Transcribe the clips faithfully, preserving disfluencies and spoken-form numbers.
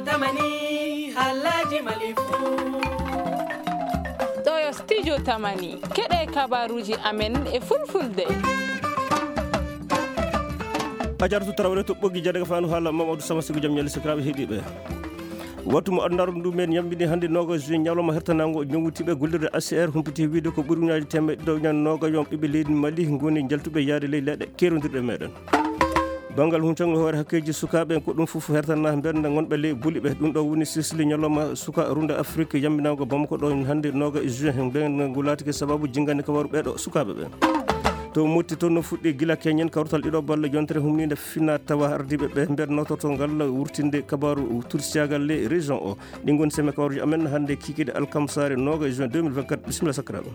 Tamani, halaji malifu. Ɗo yo studio Tamani. Keɗe kabaruji amen e fulfulde. A jartu Tarawre to ɓoggi jadaga fanu haala Mamadou Sama Sigo jam ñalle sakiraɓe heɗiɓe. Wattu mo andarum ɗum en yambini hannde nogas juin ñalawma hertanango ñowitiɓe gollirde A C R humpiti wiide ko ɓuri ujunaji temeɗɗe ɗiɗo ujunaji nogas yon ɓiɓɓe leydi Mali ngoni jaltuɓe yaade ley leɗɗe kerondirɗe meɗen. Banngal huncangol hoore hakkeeji sukaaɓe en, ko ɗum fof hertana mbernda ngonɓe ley buli ɓe. Ɗum ɗo woni silsili ñalawma suka Runda Afrique yamminaago Bamako ɗo hannde nogas juin. Mbernda ngu laatike sababu jinngande kabaru ɓeeɗo sukaaɓe ɓe. To Motti toon no fuɗɗi gila keñen kawtal ɗiɗo balla yontere humninde fina tawa ardiiɓe ɓe nder nototo ngal wurtinde kabaru tursiyagal ley région o. Ɗi ngoni seme kabaruji amen hannde kikiɗe alkamsare nogas juin deux mille vingt-quatre. Bisimilla sakiraaɓe.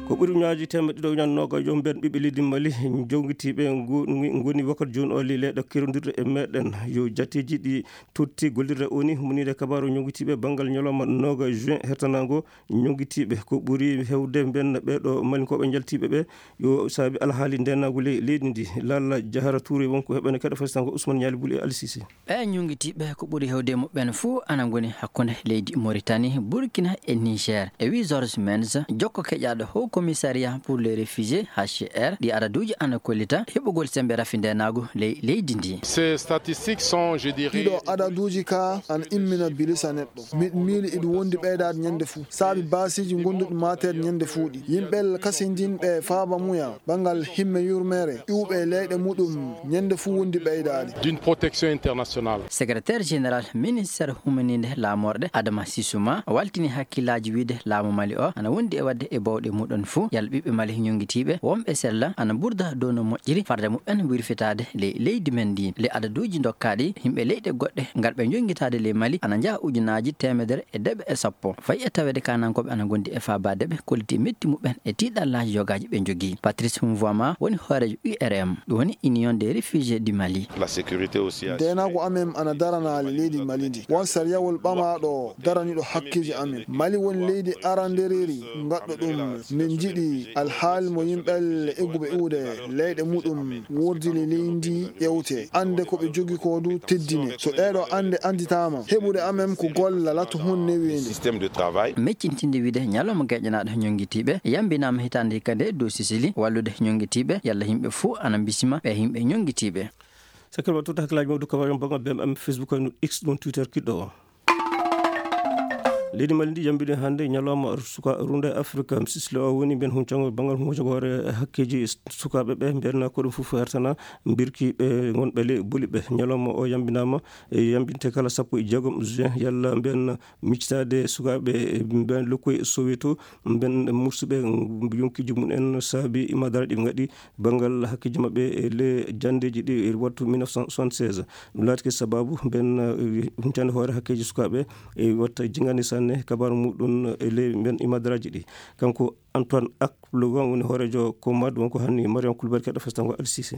Ko ɓuri ujunaji temeɗɗe ɗiɗo ujunaji nogas yo mben ɓiɓɓe leydi Mali jowgitiiɓe ngu-, ngoni wakkati jooni o ley leɗɗe kerondirɗe e meɗen. Yo jatteeji ɗi totti gollirde o ni humninde kabaru ñowgitiiɓe banngal ñalawma nogas juin hertanango ñowgitiiɓe. Ko ɓuri hewde mben ɓeeɗo Malinkooɓe jaltiiɓe ɓe yo saabi alhaali ndenagu ley leydi ndi. Lalla Jahara Touré wonko heɓene kaɗa fasitango Ousmane Ñaali Buli e Ali Cissé. Ɓe ñungitiiɓe ko ɓuri hewde muɓɓen fuu ana ngoni hakkunde leydi Mauritanie, Burkina e Niger. E wi Georges Menz, jokko keƴaaɗo Haut Commissariat pour les Réfugiés, H C R, ɗi adaduuji ana kollita heɓugol sembe rafi ndenaagu ley leydi ndi. Ces statistiques sont, je dirais, ɗiɗo adaduuji ka ana immina bilisa neɗɗo. Miɗo miili iɗo wondi ɓeydaade ñande fuu. Saabi baasiiji gonduɗi maateede ñande fuu ɗi. Yimɓe kasindinɓe faaba muya. Banngal himme yurmeere, iwɓe e leyɗe muɗum, ñande fuu wondi ɓeydaade. D'une protection internationale. Secrétaire général ministère humaninde laamorɗe Adama Sissouma waltini hakkillaaji wiide laamu Mali o ana wondi e waɗde e bawɗe muɗum fuu yalla ɓiɓɓe Mali ñungitiiɓe wonɓe sella ana mburda dow no moƴƴiri farde muɓɓen wirfitaade ley leydi men ndi. Le adaduuji dokkaaɗi yimɓe leyɗe goɗɗe ngal ɓe ñungitaade ley Mali ana njaha ujunaaji teemedere e deeɓe e sappo. Fayi e taweede kaanankooɓe ana ngondi e faabaade ɓe kolliti metti muɓɓen e tiiɗallaaji yogaaji ɓe njogii. Patrice Mvoama woni hooreejo U R M, ɗum woni Union des Réfugiés du Mali. La sécurité aussi a... Ndeenaagu amen ana daranaali leydi Mali ndi. Won sariyawol ɓamaaɗo daraniiɗo hakkeeji amen. Mali woni leydi arandereeri ngaɗɗo ɗum. Min njiɗi alhaali mo yimɓe egguɓe iwde leyɗe muɗum wurdini leydi ndi ƴewte. Annde ko ɓe jogii ko du teddine. So ɗeeɗo annde annditaama, heɓude amen ko golla lattu hun newiinde. Système de travail. Meccintinde wiide ñalawma geƴanaaɗo ñongitiiɓe yambinaama hitaande hikka nde dow Sisili wallude ñongitiiɓe yalla yimɓe fuu ana mbisima ɓe yimɓe ñongitiiɓe. Sakkir waɗtude hakkillaaji mawɗo kabaru on banngal B M M Facebook, no X, ɗum Twitter kiɗɗo o. Leydi Mali ndi yambini hannde ñalawma suka Runda Afrika. Sisli o woni mben huncangol banngal huncagol hoore hakkeeji sukaaɓe ɓe mbiyanna ko ɗum fof hertana mbirki ɓe ngonɓe ley buli ɓe. Ñalawma o yambinaama e yambinte kala sappo e jeegom juin yalla mbiyan miccitaade sukaaɓe e mbiyan lokkoy Soweto mbiyan mursuɓe yonkiiji mum en saabi imadara ɗi ngaɗi banngal hakkeeji maɓɓe e le janndeeji ɗi e wattu mille neuf cent soixante-seize. Ɗum laatike sababu mbiyan huncande hoore hakkeeji sukaaɓe e watta jingani sanne kabaru muɗum e le mbiyan imadaraaji ɗi. Kanko Antoine Ak Logan woni hooreejo Komad wonko hanni Mariam Kulbali keɗɗo festango Al Sisi.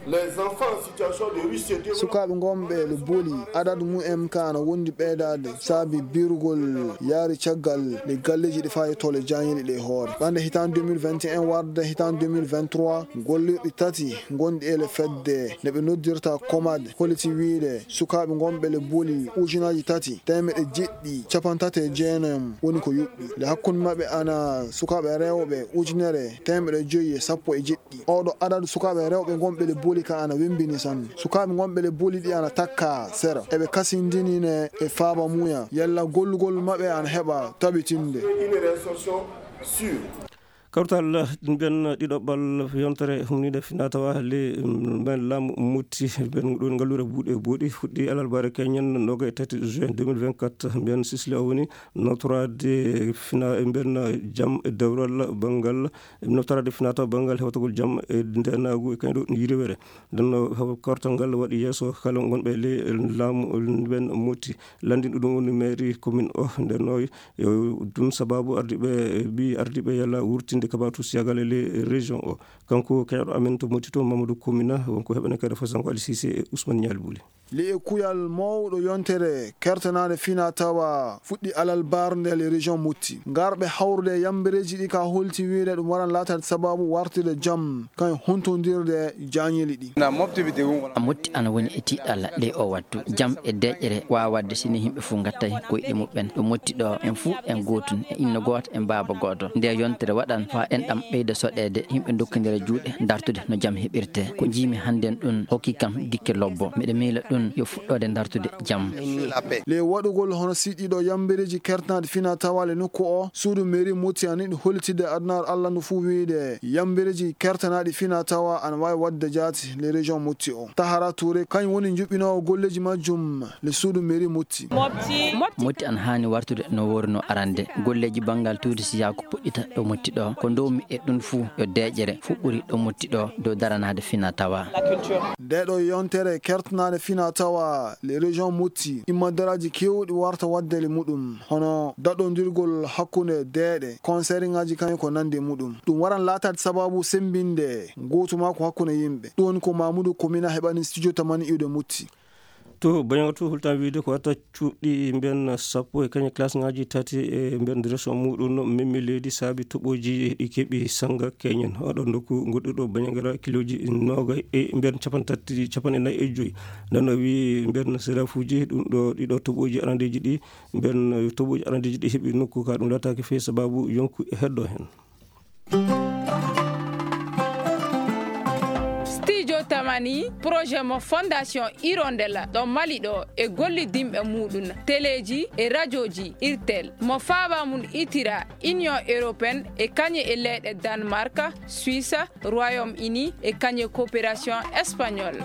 Les enfants en situation de rue C deux. Sukaaɓe ngonɓe le boli adadu mumen ka ana wondi ɓeydaade saabi birugol yaari caggal le galleeji ɗi faa e tole jaañiiɗi ɗe hoore. Ɓande hitaande deux mille vingt et un warde hitaande deux mille vingt-trois, gollirɗi tati ngonɗi e le fedde nde ɓe noddirta Komad holliti wiide sukaaɓe ngonɓe le boli ujunaaji tati teemeɗe jeɗɗi cappanɗe tati e jeenayi woni ko yuɓɓi. Le hakkunde maɓɓe ana sukaaɓe rewɓe ujunere teemeɗe joyi e sappo e jeɗɗi. Oɗo adadu sukaaɓe rewɓe ngonɓe le boli ka ana wembini sanne. Sukaaɓe ngonɓe le boli ɗi ana takka sera. Eɓe kasindini ne e faaba muya. Yalla gollugol maɓɓe ana heɓa tabitinde. Une réinsertion sûre. Kawtal nden ɗiɗoɓal yontere humninde finatawa le, mm, men laamu mutti ben ɗon ngalluure buuɗe buuɗi fuɗɗi alarbaare keñen noga e tati juin deux mille vingt-quatre. Mbiyan Sisli o woni notorade fina, mbiyan jam e dewral banngal, notorade finatawa banngal hewtagol jam e ndenagu e kañum ɗo yiriwere. Nden no kortal ngal waɗi yeeso kala ngonɓe le laamu ben mutti. Landin ɗum woni mairie commune o. Nden no yo ɗum sababu ardiɓe, bi ardiɓe yalla wurtinde kabatu siyagal e le région o. Kanko keɗoɗo amen to Motti to Mamadou Komina, wonko heɓene kadi fasango Ali Cissé e Ousmane Nialy Bouli. Li'e kuyal mawɗo yontere kertanaade fina tawa fuɗɗi alarba nde le région Motti. Ngarɓe hawrude e yambereeji ɗi ka holti wiyde ɗum waran laataade sababu wartude jam kan huntondirde jaañeli ɗi. Motti ana woni e tiiɗalla ley o wattu. Jam e deeƴere waawa waɗde si ni yimɓe fof ngattay koyɗe muɓɓen. Ɗo Motti ɗo en fof en gootun, e inno gooto, e baaba gooto. Nde yontere waɗan faa enɗam ɓeyda soɗeede, yimɓe dokkondira juuɗe, dartude no jam heɓirtee. Ko njiimi hannden ɗun hokki kam gikke lobbo. Miɗo miila ɗun yo fuɗɗoode dartude jam. Le waɗugol hono siɗɗiɗo yambereeji kertanaaɗi fina tawa le nokku o, suudu mairie Motti ana yiɗi hollitinde adunaaru Alla ndu fof wiyde yambereeji kertanaaɗi fina tawa ana waawi waɗde jaati le région Motti o. Tahara Touré kañum woni njuɓɓinoowo golleeji majjum le suudu mairie Motti. Motti ana haani wartude no woori no arande. Golleeji banngal tuurisiyaaku puɗɗita ɗo Motti ɗo. Ko ndowmi e ɗun fuu yo deeƴere fuɗɗori ɗo Motti ɗo dow daranaade fina tawa. Nde ɗo yontere kertanaade fina tawa le région Motti, immandaraaji keewɗi warta waɗde le muɗum, hono daɗondirgol hakkunde deeɗe, konseriŋaaji kañum ko nandi e muɗum. Ɗum waran laataade sababu semmbinde ngootu makko hakkunde yimɓe. Ɗum woni ko Mamoudou Komina heɓani studio Tamani iwde Motti. To Bañaŋa to, hultan wiyde ko wata cuuɗi mben sappo e kañe klasŋaaji tati e mben région muɗum memmi leydi saabi toɓoji ɗi keɓi sanga keñen. Oɗo nokku goɗɗuɗo Bañaŋara kilooji noogay e mben capanɗe tati, capanɗe nayi e joyi. Nden o wi mben serafuji ɗum ɗo ɗiɗo toɓoji arandeji ɗi, mben toɓoji arandeji ɗi heɓi nokku ka ɗum laataaki fey sababu yonku e heddo hen. Studio Tamani, projet mo Fondation Hirondelle ɗo Mali ɗo e gollidinɓe muɗum, teleji e rajoji Irtel, mo faaba mum itira Union Européenne e kañe e leyɗe Danemark, Suisse, Royaume Uni e kañe coopération espagnole.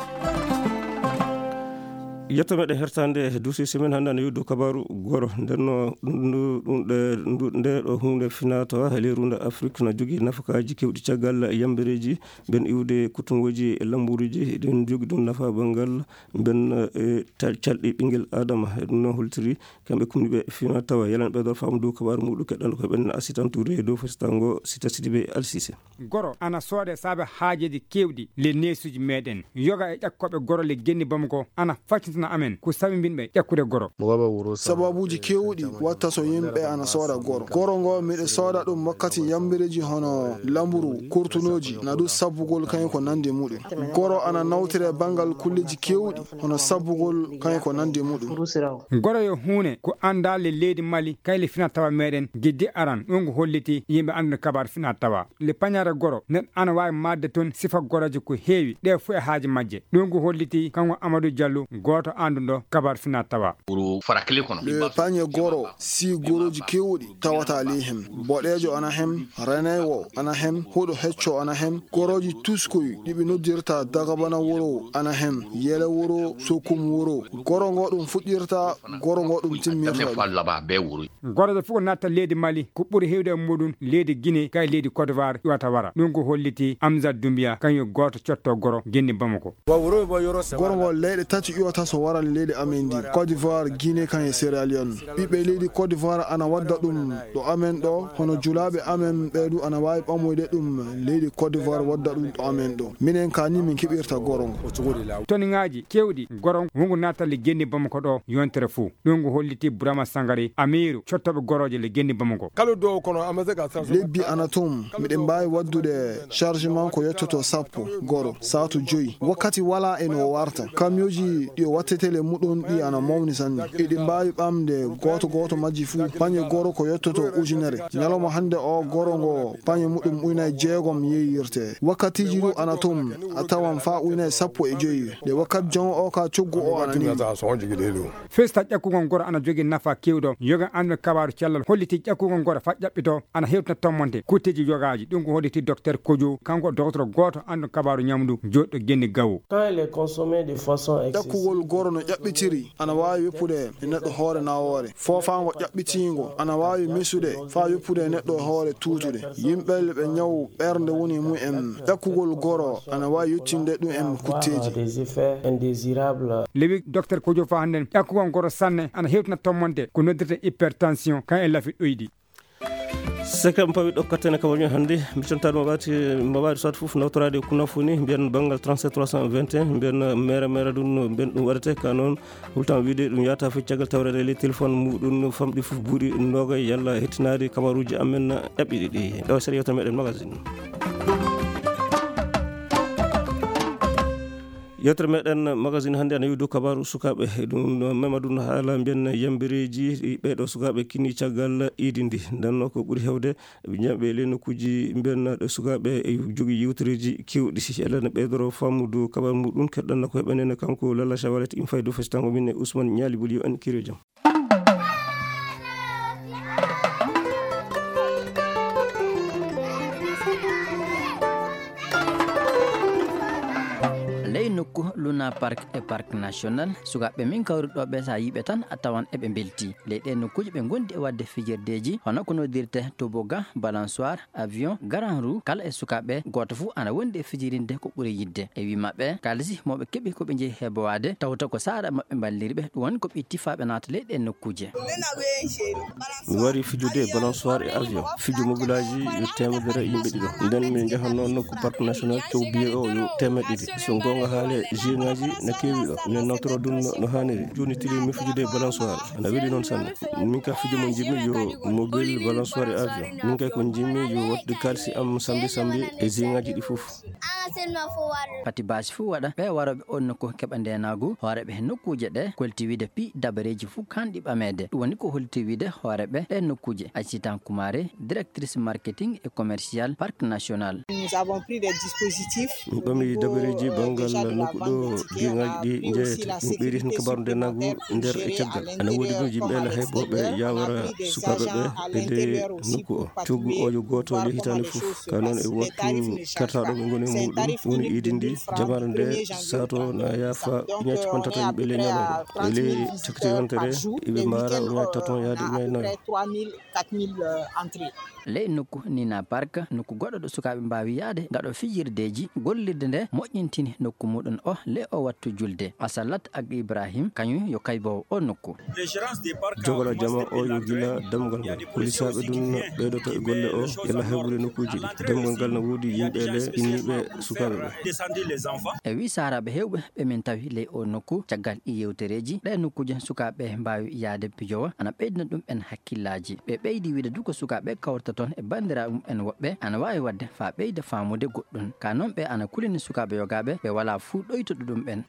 Yetto meɗen hertande dossier semaine hannde ana yewdo kabaru goro. Ndenno ɗum ɗo hunde finatawa e leyru nde Afrique na jogii nafakaaji kewɗi caggal yambereeji, mben iwde kutungooji e lamburuuji, eɗen jogi ɗum nafa banngal mben, e, ta-, calɗi ɓinngel Adama. E ɗum noon holtiri kamɓe kumniɓe finatawa. Yalan ɓeydor faamu dow kabaru muɗum keɗɗanɗo ko ɓen Asitan Touré dow fesitango Sita Sidibe Alsise. Goro ana soode saabe haajeeji keewɗi le neesuuji meɗen. Yoga e ƴakkooɓe goro le genni Bamako ana faccintana amen ko sababinɓe ƴakkude goro. Sababuuji keewɗi watta so yimɓe ana sooda goro. Goro ngo miɗo sooda ɗum wakkati yambireeji hono lamburu, kurtunooji, na ɗum sabbugol kañum ko nandi e muɗum. Goro ana nawtire banngal kulleeji keewɗi hono sabbugol kañum ko nandi e muɗum. Goro yo huune ko anndaa le leydi Mali kay le fina tawa meɗen giddi aran ɗum ko holliti yimɓe anndude kabaar fina tawa. Le pañaare goro neɗɗo ana waawi maatde toon sifa gorooje ko heewi, ɗe fof e haaji majje. Ɗum ko holliti kanko Amadou Diallo, gooto annduɗo kabaar fina tawa. Le pañe goro si gorooji keewɗi tawata ley hem. Boɗeejo ana hem, renaywo ana hem, huɗo hecco ana hem, gorooji tuskoy ɗi ɓe noddirta dagabana woro ana hem, yele woro, sokum woro. Goro ngo ɗum fuɗɗirta, goro ngo ɗum timmirta. Gorooje fof ko natta leydi Mali, ko ɓuri heewde e muɗum leydi Guinée, kay leydi Côte d'Ivoire iwata wara. Ɗum ko holliti Amzat Doumbia, kañum gooto cotto goro genni Bamako. Goro ngo leyɗe tati iwata so wara leydi amen ndi, Côte d'Ivoire, Guinée, kañum e Sierra Leone. Ɓiɓɓe leydi Côte d'Ivoire ana wadda ɗum ɗo amen ɗo, hono julaaɓe amen ɓee du ana waawi ɓamoyde ɗum leydi Côte d'Ivoire wadda ɗum ɗo amen ɗo. Minen ka ni min keɓirta goro ngo. Toniŋaaji keewɗi goro wongo natta le genni Bamako ɗo yontere fof. Ɗum ko holliti Burama Sangare, amiiru cottooɓe gorooje le genni Bamako. Lebbi ana toon, miɗen mbaawi waɗdude chargement ko yottoto sappo, goro, saatu joyi. Wakkati walaa e no warta. Kamiyooji ɗi o wattete le muɗum ɗi ana mawni sanne. Eɗi mbaawi ɓamde gooto gooto majji fuu pañe goro ko yottoto ujunere. Ñalawma hannde o goro ngo pañe muɗum ujunere jeegom yeeyirte. Wakkatiiji du ana toon, a tawan faa ujunere sappo e joyi. Nde wakkati jon o ka coggu o ana newi. Festa ƴakkugol goro ana jogii nafa keewɗo. Yoga annduɓe kabaaru cellal holliti ƴakkugol goro faa ƴaɓɓito ana hewtina tommonte kutteeji yogaaji. Ɗum ko holliti Docteur Kojo, kanko docteur gooto annduɗo kabaaru ñamdu, jooɗiɗo genni Gawo. Ƴakkugol goro no ƴaɓɓitiri ana waawi woppude e neɗɗo hoore nawoore. Foofaango ƴaɓɓitiingo ana waawi mesude faa woppude e neɗɗo hoore tuutude. Yimɓe ɓe ñaw ɓernde woni e mumen, ƴakkugol goro ana waawi yettinde ɗum en kutteeji. Lewi docteur Kojo faa hannden ƴakkugol goro sanne ana hewtina tommonte ko noddirta hypertension kan e lafi ɗoyɗi. Sekre mo pawi ɗo kattane kabaruji hannde, mi contaade mo ɓaati, mo ɓaati soit fof nawtoraade kuna funi, mbiyen banngal trente-sept trois cent vingt et un, mbiyen mere mere ɗum, mbiyen ɗum waɗete ka noon, hultan wiide ɗum yahata fof caggal tawreede e ley téléphone muɗum famɗi fof buuɗi nogay yalla hettinaade kabaruji amen ɗaɓɓiɗi ɗi. Ɗo seeɗa yewtere meɗen magazine. Yewtere meɗen magazine hannde ana yewi dow kabaaru sukaaɓe. E ɗum no mema ɗum haala mbiyen yambireeji ɗi ɓeeɗo sukaaɓe kinni caggal iidi ndi. Ndenno ko ɓuri heewde ɓe njaɓe ley nokkuuji mbiyen ɗo sukaaɓe e jogii yewtereeji keewɗi. Yalla ne ɓeydoro faamudu kabaaru muɗum, keɗɗanno ko heɓanene kanko Lalla Shawalet im faydu fesitango min e Ousmane Ñaali Buli yo en kiro jam. Ley nokku Luna Park e Parc National, sukaaɓe min kawri ɗo ɓe, so a yiiɓe tan a tawan eɓe mbelti. Ley ɗee nokkuuji ɓe ngondi e waɗde fijirdeeji, hono ko noddirte toboga, balançoire, avion, grand roue, kala e sukaaɓe, gooto fof ana wondi e fijirinde ko ɓuri yiɗde. E wii maɓɓe, kaalisi mo ɓe keɓi ko ɓe njehi heɓowaade, tawta ko saara maɓɓe mballiri ɓe, ɗum woni ko ɓe tifaaɓe naata ley ɗee nokkuuje. Mi wari fijude balançoire e avion, fijo mobilaaji yo teemedere yimɓe ɗiɗo. Nden min njahanno nokku Parc National, taw billet o yo teemedde ɗiɗi. So goonga haale, jeux ŋaaji na keewi ɗo. Min nawtoro ɗum no, no haaniri. Jooni tigi mi fijude balançoire. Ana weli noon sanne. Min ka fijo mo njiɗmi yo mobile, balançoire e avion. Min kay ko njiɗmi yo waɗde kaalisi am sambi sambi e jeux ŋaaji ɗi fof. Pati baasi fof waɗa, ɓe warooɓe on nokku keɓa ndeenaagu, hooreeɓe he nokkuuje ɗe, kolti wiide piyi dabareeji fof kanɗi ɓameede. Ɗum woni ko holti wiide hooreeɓe ɗe nokkuuje. Aïssata Kumare, directrice marketing et commercial Parc National. Nous avons pris des dispositifs. Min ɓami dabareeji banngal nokku ɗo jeux ŋaaji ɗi njeyete. Min ɓeydi heen kabaaru ndeenaagu nder e caggal. Ana woodi ɗum yimɓe ene hay bo ɓe yawara sukaaɓe ɓe e ley nokku o. Coggu o yo gooto ley hitaande fof. Ka noon e waktu kertaaɗo ɓe ngoni e muɗum, woni iidi ndi, jamaare nde sato na yaafa ujunnaaji capanɗe tati yimɓe ley ñalawma. E ley cakkiti yontere, iɓe mbaara ujunnaaji taton yaade ujunnaaji nayo. Ley nokku Nina Park, nokku goɗɗo ɗo sukaaɓe mbaawi yahde ngaɗo fijirdeeji, gollirde nde moƴƴintini nokku muɗum o ley o wattu julde. Asalat ak Ibrahim, kañum yo kayboowo o nokku. Jogora jama o yo gila damgal ngal. Polisaaɓe ɗum ɓeydoto e golle o, yalla heɓude nokkuuji ɗi. Damgal ngal no woodi yimɓe le inniiɓe sukaaɓe ɓe. E wii saaraaɓe heewɓe ɓe min tawi ley o nokku, caggal ɗi yewtereeji, ɗe nokkuuje sukaaɓe mbaawi yahde pijowa, ana ɓeydina ɗum en hakkillaaji. Ɓe ɓeydi wiide du ko sukaaɓe kawrata toon e banndiraaɓe mum en woɓɓe, ana waawi waɗde faa ɓeyda faamude goɗɗum. Ka noon ɓe ana kulini sukaaɓe yogaaɓe ɓe walaa fuu ɗoytuɗo ɗum ɓen.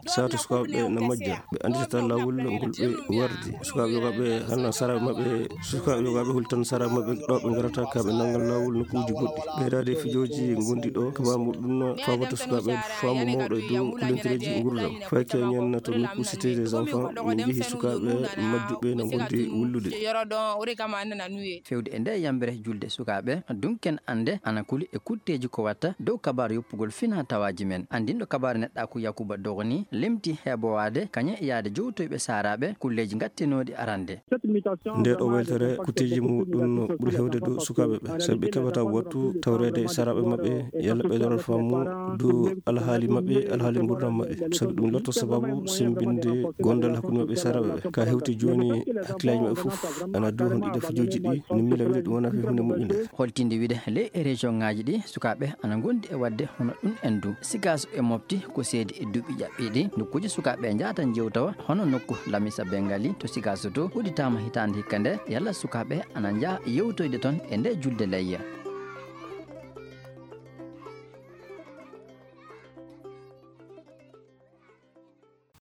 Sato sukaaɓe ɓe na majja, ɓe annditata laawol ngol ɓe wardi. Sukaaɓe yogaaɓe hannde saraaɓe maɓɓe, sukaaɓe yogaaɓe hultan saraaɓe maɓɓe ɗo ɓe ngarata ka ɓe nanngan laawol nokkuuji goɗɗi. Ɓeydaade e fijooji ngondi ɗo, kaba muɗum no faabata sukaaɓe faamu mawɗo e dow kulentereeji nguurndam. Fay keñen to nokku Cité des Enfants, min njehi sukaaɓe majjuɓe na ngondi wullude. Fewde e nde yambere julde sukaaɓe, dunken annde ana kuli e kutteeji ko watta dow kabaaru yoppugol fina tawaaji men. Anndinɗo kabaaru neɗɗaaku Yakuba Dogoni limti heɓowaade kañe yaade jowtoyɓe saaraaɓe kulleeji ngattinooɗi arande. Nde ɗo weltere kutteeji muɗum ɓuri hewde dow sukaaɓe ɓe, sabi ɓe keɓata wattu tawreede e saaraaɓe maɓɓe, yalla ɓe lorot faamu dow alhaali maɓɓe, alhaali nguurndam maɓɓe. Sabi ɗum lotto sababu sembinde gondal hakkunde maɓɓe e saaraaɓe ɓe. Ka hewti jooni, hakkillaaji maɓɓe fof ana dow hon ɗiɗo fijooji ɗi, no miila wiyde ɗum wona fii huunde moƴƴunde. Holtinde wiyde ley e région ŋaaji ɗi, sukaaɓe ana ngondi e waɗde hono ɗum en du. Sigaso e Mopti ko seedi e duuɓi ƴaɓɓiiɗi. Nokkuuji sukaaɓe njahata njewtawa hono nokku Lamisa Bengali to Sigaso to udditaama hitaande hikka nde, yalla sukaaɓe ana njaha yewtoyde toon e nde julde layya.